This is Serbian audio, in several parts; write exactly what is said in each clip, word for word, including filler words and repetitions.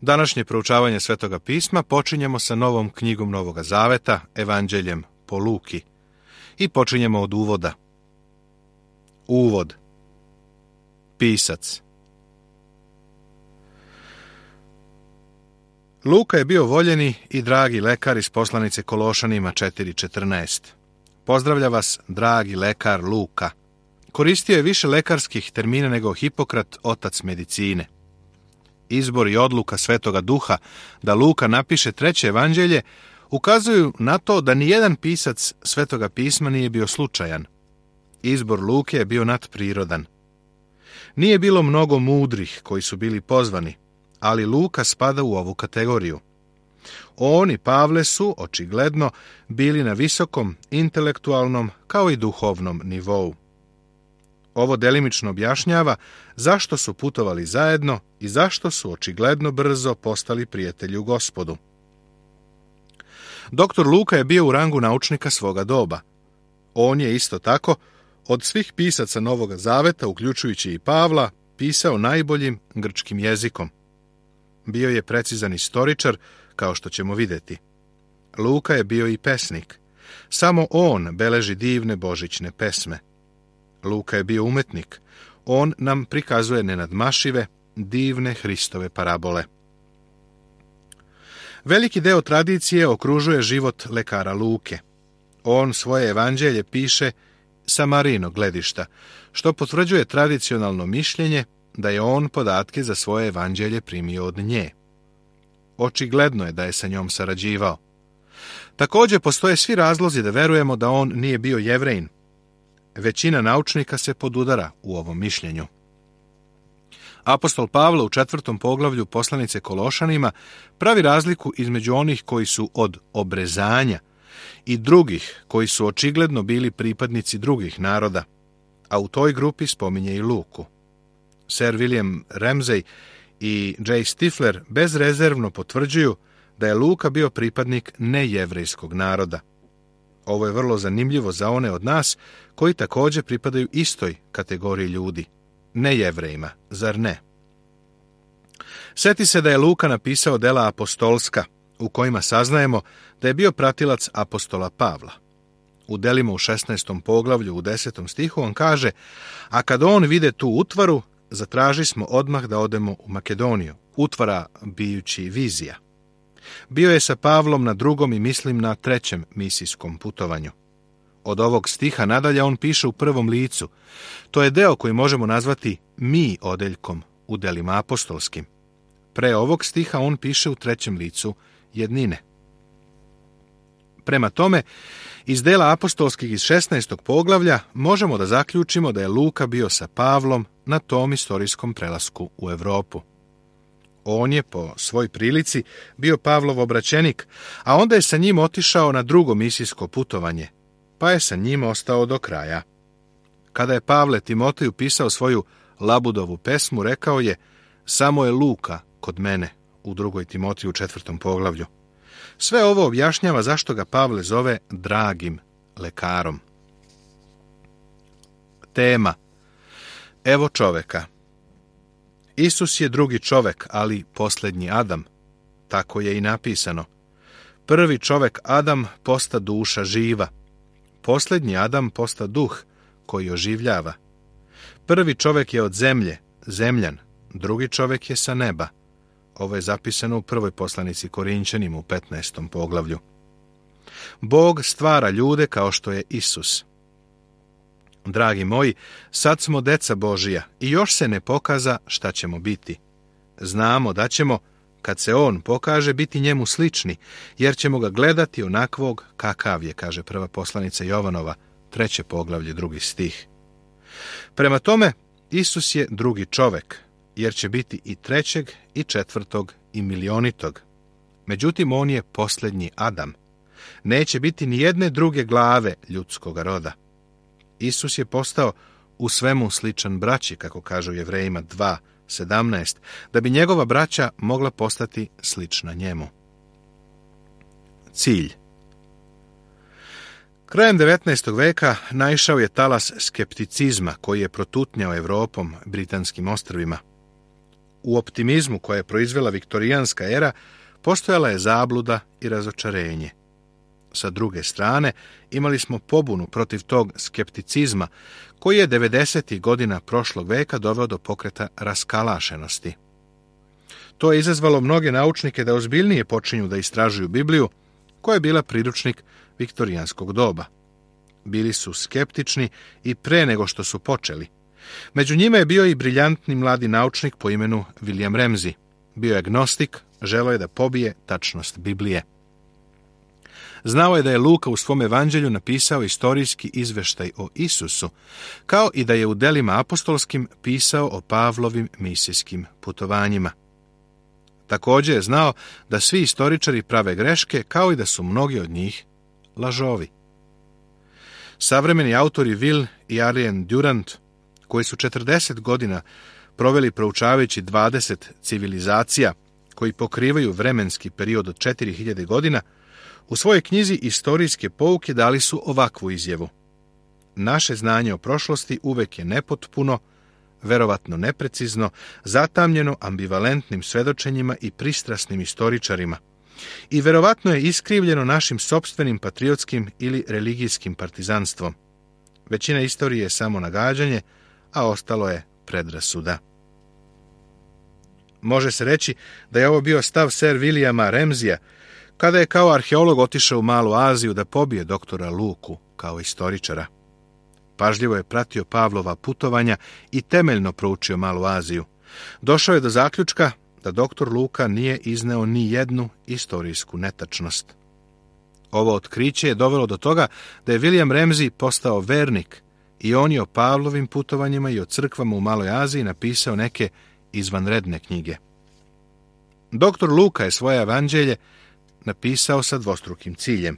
Današnje proučavanje Svetoga pisma počinjemo sa novom knjigom Novoga Zaveta, Evanđeljem po Luki. I počinjemo od uvoda. Uvod. Pisac. Luka je bio voljeni i dragi lekar iz poslanice Kološanima četiri četrnaest. Pozdravlja vas, dragi lekar Luka. Koristio je više lekarskih termina nego Hipokrat, otac medicine. Izbor i odluka Svetoga Duha da Luka napiše treće evanđelje ukazuju na to da nijedan pisac Svetoga pisma nije bio slučajan. Izbor Luke je bio nadprirodan. Nije bilo mnogo mudrih koji su bili pozvani, ali Luka spada u ovu kategoriju. On i Pavle su, očigledno, bili na visokom intelektualnom kao i duhovnom nivou. Ovo delimično objašnjava zašto su putovali zajedno i zašto su očigledno brzo postali prijatelji u Gospodu. Doktor Luka je bio u rangu naučnika svoga doba. On je isto tako, od svih pisaca Novoga Zaveta, uključujući i Pavla, pisao najboljim grčkim jezikom. Bio je precizan istoričar, kao što ćemo vidjeti. Luka je bio i pesnik. Samo on beleži divne božićne pesme. Luka je bio umetnik. On nam prikazuje nenadmašive, divne Hristove parabole. Veliki deo tradicije okružuje život lekara Luke. On svoje evanđelje piše sa Marijinog gledišta, što potvrđuje tradicionalno mišljenje da je on podatke za svoje evanđelje primio od nje. Očigledno je da je sa njom sarađivao. Također postoje svi razlozi da verujemo da on nije bio Jevrejin. Većina naučnika se podudara u ovom mišljenju. Apostol Pavle u četvrtom poglavlju poslanice Kološanima pravi razliku između onih koji su od obrezanja i drugih koji su očigledno bili pripadnici drugih naroda, a u toj grupi spominje i Luku. Sir William Ramsay i J. Stifler bezrezervno potvrđuju da je Luka bio pripadnik nejevrejskog naroda. Ovo je vrlo zanimljivo za one od nas koji također pripadaju istoj kategoriji ljudi, nejevrejima, zar ne? Sjeti se da je Luka napisao dela apostolska, u kojima saznajemo da je bio pratilac apostola Pavla. U delima u šesnaestom poglavlju u desetom stihu on kaže: a kad on vide tu utvaru, zatraži smo odmah da odemo u Makedoniju, utvara bijući vizija. Bio je sa Pavlom na drugom i mislim na trećem misijskom putovanju. Od ovog stiha nadalje on piše u prvom licu. To je deo koji možemo nazvati mi odeljkom u delima apostolskim. Pre ovog stiha on piše u trećem licu jednine. Prema tome, iz dela apostolskih iz šesnaestog poglavlja možemo da zaključimo da je Luka bio sa Pavlom na tom istorijskom prelasku u Evropu. On je po svoj prilici bio Pavlov obraćenik, a onda je sa njim otišao na drugo misijsko putovanje, pa je sa njim ostao do kraja. Kada je Pavle Timoteju pisao svoju Labudovu pesmu, rekao je: samo je Luka kod mene, u drugoj Timoteju u četvrtom poglavlju. Sve ovo objašnjava zašto ga Pavle zove dragim lekarom. Tema. Evo čoveka. Isus je drugi čovek, ali posljednji Adam. Tako je i napisano. Prvi čovek Adam posta duša živa. Posljednji Adam posta duh koji oživljava. Prvi čovek je od zemlje, zemljan. Drugi čovek je sa neba. Ovo je zapisano u prvoj poslanici Korinćanima u petnaestom poglavlju. Bog stvara ljude kao što je Isus. Dragi moji, sad smo deca Božija i još se ne pokaza šta ćemo biti. Znamo da ćemo, kad se on pokaže, biti njemu slični, jer ćemo ga gledati onakvog kakav je, kaže prva poslanica Jovanova, treće poglavlje, drugi stih. Prema tome, Isus je drugi čovek, jer će biti i trećeg, i četvrtog, i milionitog. Međutim, on je posljednji Adam. Neće biti ni jedne druge glave ljudskog roda. Isus je postao u svemu sličan braći, kako kažu Jevrejima dva sedamnaest, da bi njegova braća mogla postati slična njemu. Cilj. Krajem devetnaestog veka naišao je talas skepticizma koji je protutnjao Evropom, britanskim ostrvima. U optimizmu koje je proizvela viktorijanska era postojala je zabluda i razočarenje. Sa druge strane, imali smo pobunu protiv tog skepticizma koji je devedesetih godina prošlog veka doveo do pokreta raskalašenosti. To je izazvalo mnoge naučnike da ozbiljnije počinju da istražuju Bibliju, koja je bila priručnik viktorijanskog doba. Bili su skeptični i pre nego što su počeli. Među njima je bio i briljantni mladi naučnik po imenu William Ramsay. Bio je agnostik, želeo je da pobije tačnost Biblije. Znao je da je Luka u svom evanđelju napisao istorijski izveštaj o Isusu, kao i da je u delima apostolskim pisao o Pavlovim misijskim putovanjima. Također je znao da svi istoričari prave greške, kao i da su mnogi od njih lažovi. Savremeni autori Will i Ariane Durant, koji su četrdeset godina proveli proučavajući dvadeset civilizacija koji pokrivaju vremenski period od četiri hiljade godina, u svojoj knjizi Istorijske pouke dali su ovakvu izjavu. Naše znanje o prošlosti uvek je nepotpuno, verovatno neprecizno, zatamnjeno ambivalentnim svedočenjima i pristrasnim istoričarima i verovatno je iskrivljeno našim sopstvenim patriotskim ili religijskim partizanstvom. Većina istorije je samo nagađanje, a ostalo je predrasuda. Može se reći da je ovo bio stav Sir Williama Ramsaya, kada je kao arheolog otišao u Malu Aziju da pobije doktora Luku kao istoričara. Pažljivo je pratio Pavlova putovanja i temeljno proučio Malu Aziju. Došao je do zaključka da doktor Luka nije izneo ni jednu istorijsku netačnost. Ovo otkriće je dovelo do toga da je William Ramsay postao vernik i on je o Pavlovim putovanjima i o crkvama u Maloj Aziji napisao neke izvanredne knjige. Doktor Luka je svoje evanđelje napisao sa dvostrukim ciljem.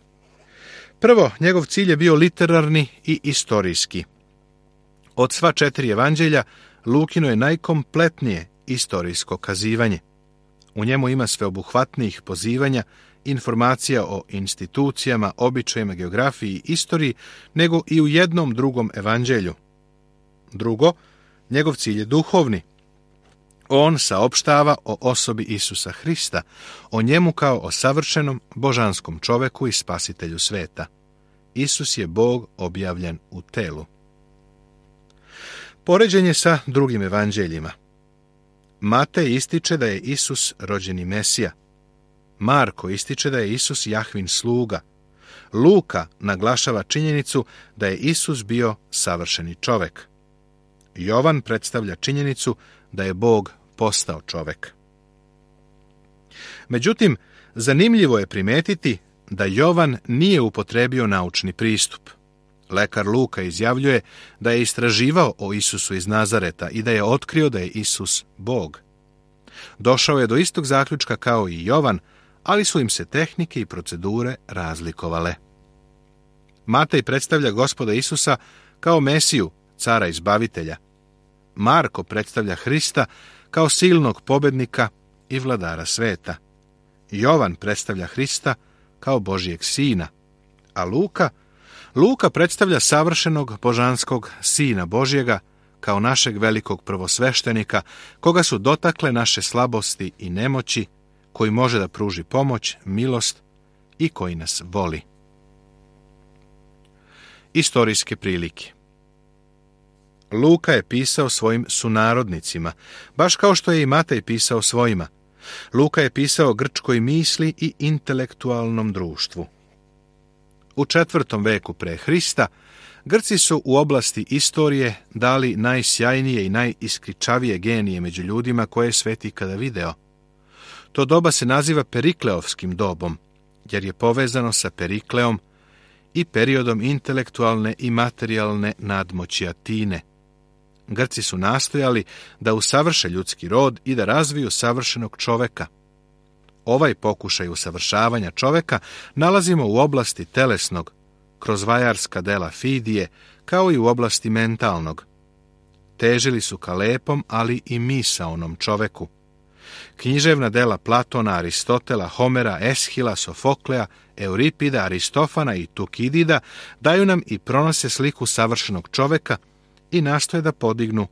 Prvo, njegov cilj je bio literarni i istorijski. Od sva četiri evanđelja, Lukino je najkompletnije istorijsko kazivanje. U njemu ima sveobuhvatnijih pozivanja, informacija o institucijama, običajima, geografiji i istoriji, nego i u jednom drugom evanđelju. Drugo, njegov cilj je duhovni. On saopštava o osobi Isusa Hrista, o njemu kao o savršenom božanskom čoveku i spasitelju sveta. Isus je Bog objavljen u telu. Poređenje sa drugim evanđeljima. Matej ističe da je Isus rođeni Mesija. Marko ističe da je Isus Jahvin sluga. Luka naglašava činjenicu da je Isus bio savršeni čovek. Jovan predstavlja činjenicu da je Bog postao čovek. Međutim, zanimljivo je primetiti da Jovan nije upotrebio naučni pristup. Lekar Luka izjavljuje da je istraživao o Isusu iz Nazareta i da je otkrio da je Isus Bog. Došao je do istog zaključka kao i Jovan, ali su im se tehnike i procedure razlikovale. Matej predstavlja Gospoda Isusa kao Mesiju, cara izbavitelja. Marko predstavlja Hrista kao silnog pobednika i vladara sveta. Jovan predstavlja Hrista kao Božijeg sina, a Luka, Luka predstavlja savršenog božanskog sina Božjega kao našeg velikog prvosveštenika, koga su dotakle naše slabosti i nemoći, koji može da pruži pomoć, milost i koji nas voli. Istorijske prilike. Luka je pisao svojim sunarodnicima, baš kao što je i Matej pisao svojima. Luka je pisao grčkoj misli i intelektualnom društvu. U četvrtom veku pre Hrista Grci su u oblasti istorije dali najsjajnije i najiskričavije genije među ljudima koje je svet ikada video. To doba se naziva Perikleovskim dobom, jer je povezano sa Perikleom i periodom intelektualne i materijalne nadmoći Atine. Grci su nastojali da usavrše ljudski rod i da razviju savršenog čoveka. Ovaj pokušaj usavršavanja čoveka nalazimo u oblasti telesnog, kroz vajarska dela Fidije, kao i u oblasti mentalnog. Težili su ka lepom, ali i misaonom čoveku. Književna dela Platona, Aristotela, Homera, Eshila, Sofoklea, Euripida, Aristofana i Tukidida daju nam i pronose sliku savršenog čoveka i nastoje da podignu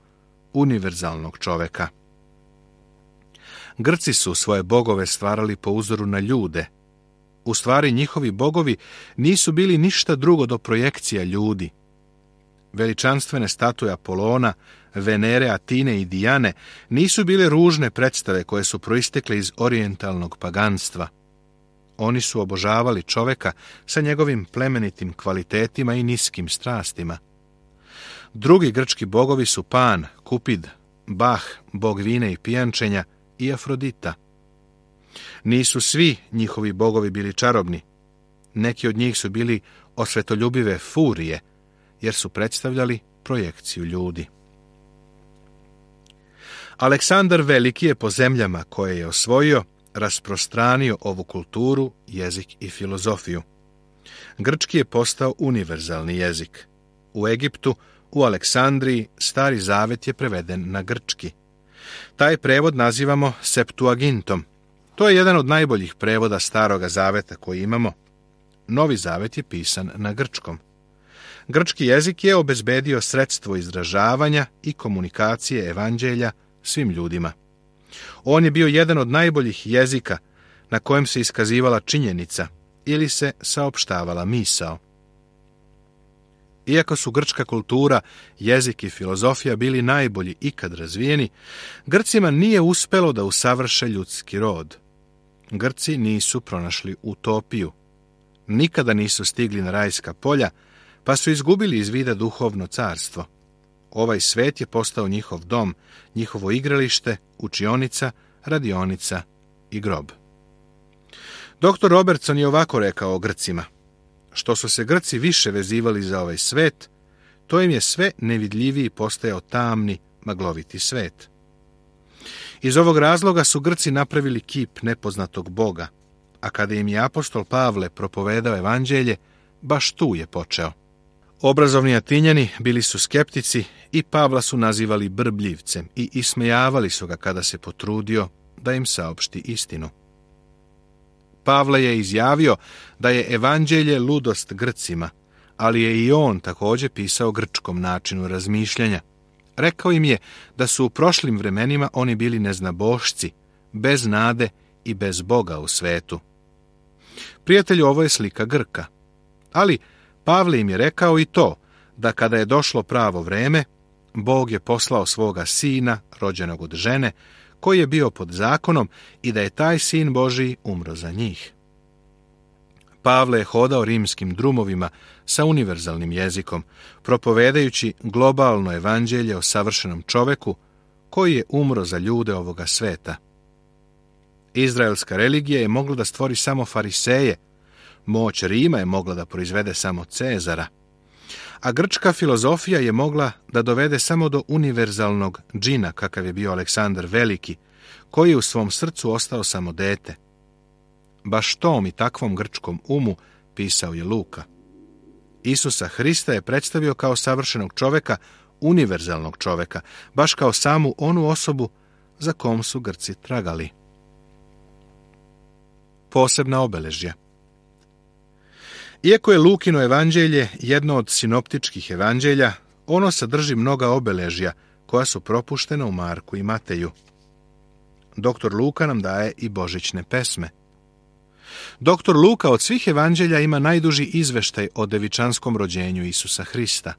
univerzalnog čoveka. Grci su svoje bogove stvarali po uzoru na ljude. U stvari, njihovi bogovi nisu bili ništa drugo do projekcija ljudi. Veličanstvene statue Apolona, Venere, Atine i Dijane nisu bile ružne predstave koje su proistekle iz orijentalnog paganstva. Oni su obožavali čoveka sa njegovim plemenitim kvalitetima i niskim strastima. Drugi grčki bogovi su Pan, Kupid, Bah, bog vine i pijančenja, i Afrodita. Nisu svi njihovi bogovi bili čarobni. Neki od njih su bili osvetoljubive furije, jer su predstavljali projekciju ljudi. Aleksandar Veliki je po zemljama koje je osvojio rasprostranio ovu kulturu, jezik i filozofiju. Grčki je postao univerzalni jezik. U Egiptu, u Aleksandriji, Stari Zavet je preveden na grčki. Taj prevod nazivamo Septuagintom. To je jedan od najboljih prevoda Staroga Zaveta koji imamo. Novi Zavet je pisan na grčkom. Grčki jezik je obezbedio sredstvo izražavanja i komunikacije evanđelja svim ljudima. On je bio jedan od najboljih jezika na kojem se iskazivala činjenica ili se saopštavala misao. Iako su grčka kultura, jezik i filozofija bili najbolji ikad razvijeni, Grcima nije uspelo da usavrše ljudski rod. Grci nisu pronašli utopiju. Nikada nisu stigli na rajska polja, pa su izgubili iz vida duhovno carstvo. Ovaj svet je postao njihov dom, njihovo igralište, učionica, radionica i grob. doktor Robertson je ovako rekao o Grcima. Što su se Grci više vezivali za ovaj svet, to im je sve nevidljiviji postajao tamni, magloviti svet. Iz ovog razloga su Grci napravili kip nepoznatog Boga, a kada im je apostol Pavle propovedao evanđelje, baš tu je počeo. Obrazovni Atinjani bili su skeptici i Pavla su nazivali brbljivcem i ismejavali su ga kada se potrudio da im saopšti istinu. Pavle je izjavio da je evanđelje ludost Grcima, ali je i on također pisao grčkom načinu razmišljanja. Rekao im je da su u prošlim vremenima oni bili neznabošci, bez nade i bez Boga u svetu. Prijatelju, ovo je slika Grka. Ali Pavle im je rekao i to, da kada je došlo pravo vreme, Bog je poslao svoga sina, rođenog od žene, koji je bio pod zakonom i da je taj sin Božiji umro za njih. Pavle je hodao rimskim drumovima sa univerzalnim jezikom, propovedajući globalno evanđelje o savršenom čoveku koji je umro za ljude ovoga sveta. Izraelska religija je mogla da stvori samo fariseje, moć Rima je mogla da proizvede samo Cezara, a grčka filozofija je mogla da dovede samo do univerzalnog džina kakav je bio Aleksandar Veliki, koji je u svom srcu ostao samo dete. Baš tom i takvom grčkom umu pisao je Luka. Isusa Hrista je predstavio kao savršenog čoveka, univerzalnog čoveka, baš kao samu onu osobu za kom su Grci tragali. Posebna obeležja. Iako je Lukino evanđelje jedno od sinoptičkih evanđelja, ono sadrži mnoga obeležja koja su propuštena u Marku i Mateju. doktor Luka nam daje i božićne pesme. doktor Luka od svih evanđelja ima najduži izveštaj o devičanskom rođenju Isusa Hrista.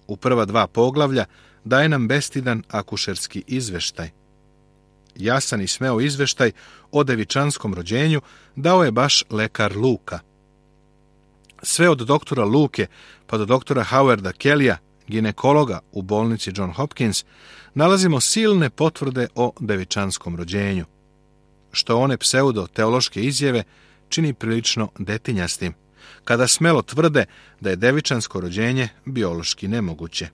U prva dva poglavlja daje nam bestidan akušerski izveštaj. Jasan i smeo izveštaj o devičanskom rođenju dao je baš lekar Luka. Sve od doktora Luke pa do doktora Howarda Kellya, ginekologa u bolnici John Hopkins, nalazimo silne potvrde o devičanskom rođenju, što one pseudo-teološke izjave čini prilično detinjastim, kada smelo tvrde da je devičansko rođenje biološki nemoguće.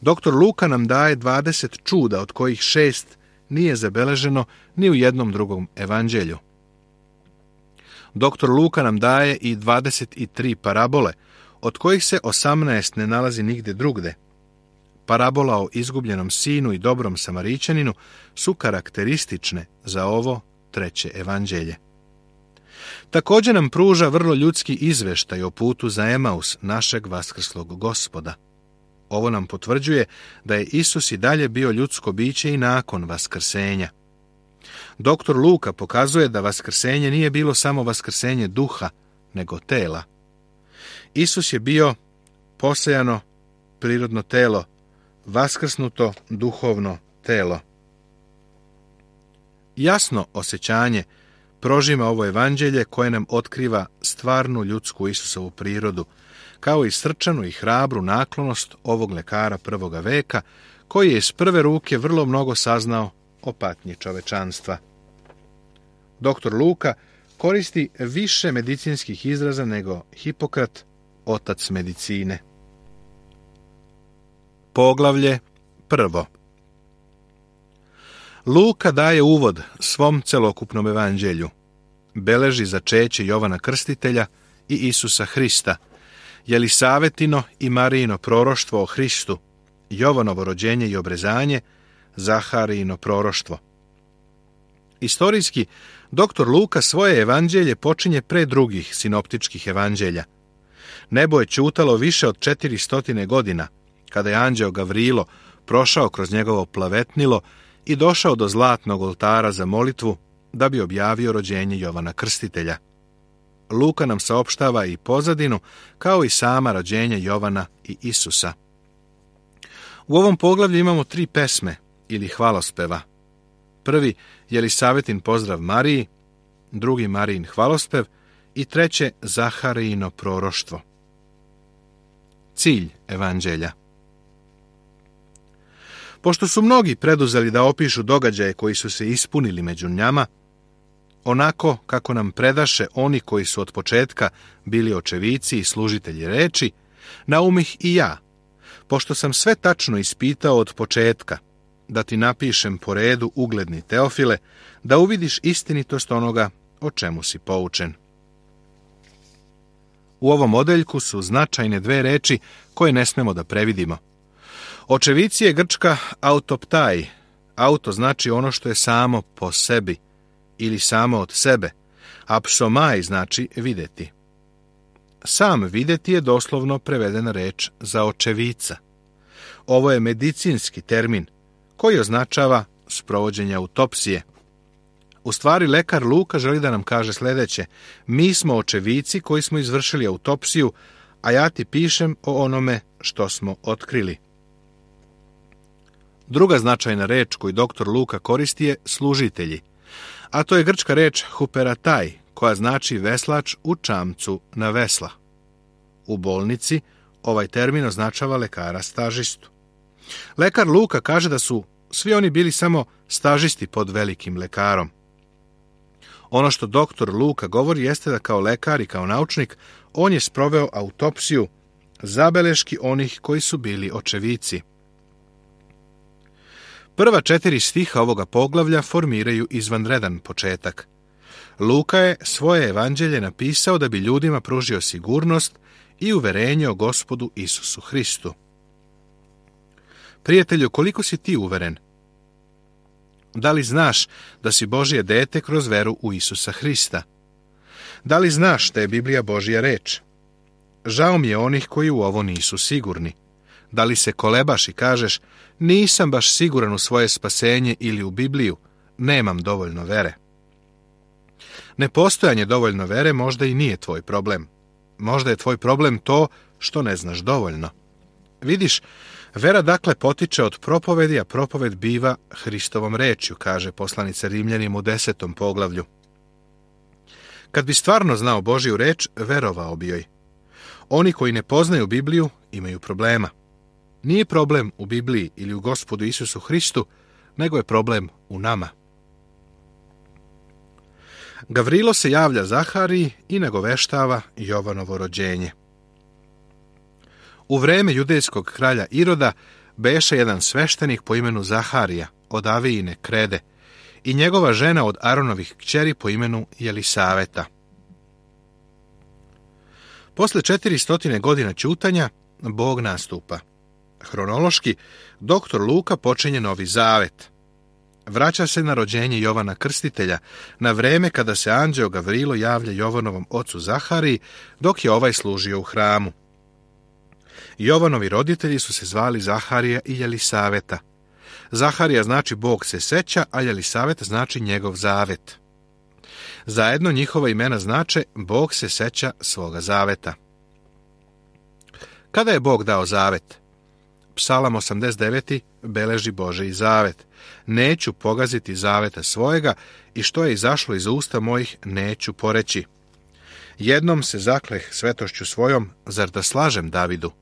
doktor Luka nam daje dvadeset čuda, od kojih šest nije zabeleženo ni u jednom drugom evanđelju. doktor Luka nam daje i dvadeset tri parabole, od kojih se osamnaest ne nalazi nigde drugde. Parabola o izgubljenom sinu i dobrom Samarićaninu su karakteristične za ovo treće evanđelje. Također nam pruža vrlo ljudski izveštaj o putu za Emaus našeg vaskrslog Gospoda. Ovo nam potvrđuje da je Isus i dalje bio ljudsko biće i nakon vaskrsenja. Doktor Luka pokazuje da vaskrsenje nije bilo samo vaskrsenje duha, nego tela. Isus je bio posejano prirodno telo, vaskrsnuto duhovno telo. Jasno osjećanje prožima ovo evanđelje koje nam otkriva stvarnu ljudsku Isusovu prirodu, kao i srčanu i hrabru naklonost ovog lekara prvoga veka, koji je iz prve ruke vrlo mnogo saznao o patnji čovečanstva. Doktor Luka koristi više medicinskih izraza nego Hipokrat, otac medicine. Poglavlje prvo. Luka daje uvod svom celokupnom evanđelju. Beleži začeće Jovana Krstitelja i Isusa Hrista, Jelisavetino i Marijino proroštvo o Hristu, Jovanovo rođenje i obrezanje, Zaharijino proroštvo. Istorijski, doktor Luka svoje evanđelje počinje pre drugih sinoptičkih evanđelja. Nebo je ćutalo više od četiristotine godina, kada je anđeo Gavrilo prošao kroz njegovo plavetnilo i došao do zlatnog oltara za molitvu da bi objavio rođenje Jovana Krstitelja. Luka nam saopštava i pozadinu, kao i sama rođenja Jovana i Isusa. U ovom poglavlju imamo tri pesme ili hvalospeva. Prvi Jelisavetin pozdrav Mariji, drugi Marijin hvalospev i treće Zaharijino proroštvo. Cilj evanđelja. Pošto su mnogi preduzeli da opišu događaje koji su se ispunili među njama, onako kako nam predaše oni koji su od početka bili očevici i služitelji reči, naumih i ja, pošto sam sve tačno ispitao od početka, da ti napišem po redu, ugledni Teofile, da uvidiš istinitost onoga o čemu si poučen. U ovom odeljku su značajne dve reči koje ne smemo da previdimo. Očevici je grčka autoptaj. Auto znači ono što je samo po sebi ili samo od sebe, a psomaj znači videti. Sam videti je doslovno prevedena reč za očevica. Ovo je medicinski termin koji označava sprovođenje autopsije. U stvari, lekar Luka želi da nam kaže sljedeće: mi smo očevici koji smo izvršili autopsiju, a ja ti pišem o onome što smo otkrili. Druga značajna reč koju doktor Luka koristi je služitelji, a to je grčka reč huperataj, koja znači veslač u čamcu na vesla. U bolnici ovaj termin označava lekara stažistu. Lekar Luka kaže da su svi oni bili samo stažisti pod velikim lekarom. Ono što doktor Luka govori jeste da kao lekar i kao naučnik on je sproveo autopsiju zabeleški onih koji su bili očevici. Prva četiri stiha ovoga poglavlja formiraju izvanredan početak. Luka je svoje evanđelje napisao da bi ljudima pružio sigurnost i uverenje o Gospodu Isusu Hristu. Prijatelju, koliko si ti uveren? Da li znaš da si Božje dete kroz veru u Isusa Hrista? Da li znaš da je Biblija Božja reč? Žao mi je onih koji u ovo nisu sigurni. Da li se kolebaš i kažeš, nisam baš siguran u svoje spasenje ili u Bibliju, nemam dovoljno vere. Nepostojanje dovoljno vere možda i nije tvoj problem. Možda je tvoj problem to što ne znaš dovoljno. Vidiš, vera dakle potiče od propovedi, a propoved biva Hristovom rečju, kaže poslanica Rimljanima u desetom poglavlju. Kad bi stvarno znao Božju reč, verovao bi joj. Oni koji ne poznaju Bibliju imaju problema. Nije problem u Bibliji ili u Gospodu Isusu Hristu, nego je problem u nama. Gavrilo se javlja Zahariji i nagoveštava Jovanovo rođenje. U vreme judejskog kralja Iroda beše jedan sveštenik po imenu Zaharija od Avijine krede i njegova žena od Aronovih kćeri po imenu Jelisaveta. Posle četiristotine godina ćutanja, Bog nastupa. Hronološki, doktor Luka počinje Novi Zavet. Vraća se na rođenje Jovana Krstitelja, na vreme kada se anđeo Gavrilo javlja Jovanovom ocu Zahariji, dok je ovaj služio u hramu. Jovanovi roditelji su se zvali Zaharija i Jelisaveta. Zaharija znači Bog se seća, a Jelisavet znači njegov zavet. Zajedno njihova imena znače Bog se seća svoga zaveta. Kada je Bog dao zavet? Psalam osamdeset devet beleži Božji zavet. Neću pogaziti zaveta svojega i što je izašlo iz usta mojih neću poreći. Jednom se zakleh svetošću svojom, zar da slažem Davidu?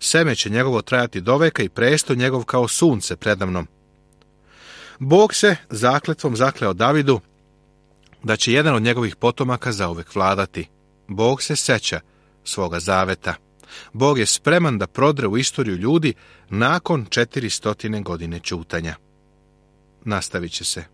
Seme će njegovo trajati doveka i presto njegov kao sunce predamnom. Bog se zakletvom zakleo Davidu da će jedan od njegovih potomaka zauvek vladati. Bog se seća svoga zaveta. Bog je spreman da prodre u istoriju ljudi nakon četiri stotine godine ćutanja. Nastavit će se.